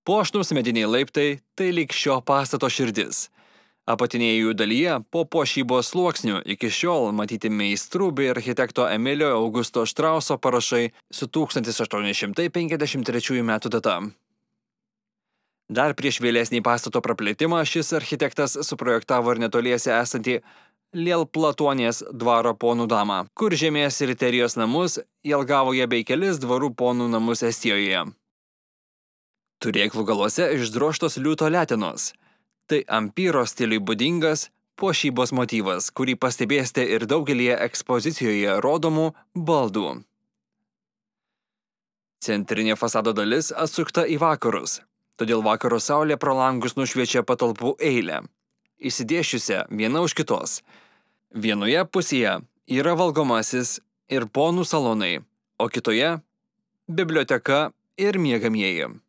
Puošnūs mediniai laiptai tai lyg šio pastato širdis. Apatinėje jų dalyje po puošybos sluoksnių iki šiol matyti meistrų bei architekto Emilio Augusto Štrauso parašai su 1853 metų data. Dar prieš vėlesnį pastato praplėtimą šis architektas suprojektavo ir netoliese esantį Lielplatuonės dvaro ponų damą, kur žemės riterijos namus, Jelgavoje bei kelis dvarų ponų namus Estijoje. Turėklų galuose išdrožtos liūto letenos. Tai ampyro stiliui būdingas puošybos motyvas, kurį pastebėsite ir daugelį ekspozicijoje rodomų baldų. Centrinė fasado dalis atsukta į vakarus, todėl vakaro saulė pro langus nušviečia patalpų eilę, išsidėsčiusią viena už kitos. Vienoje pusėje yra valgomasis ir ponų salonai, o kitoje – biblioteka ir miegamieji.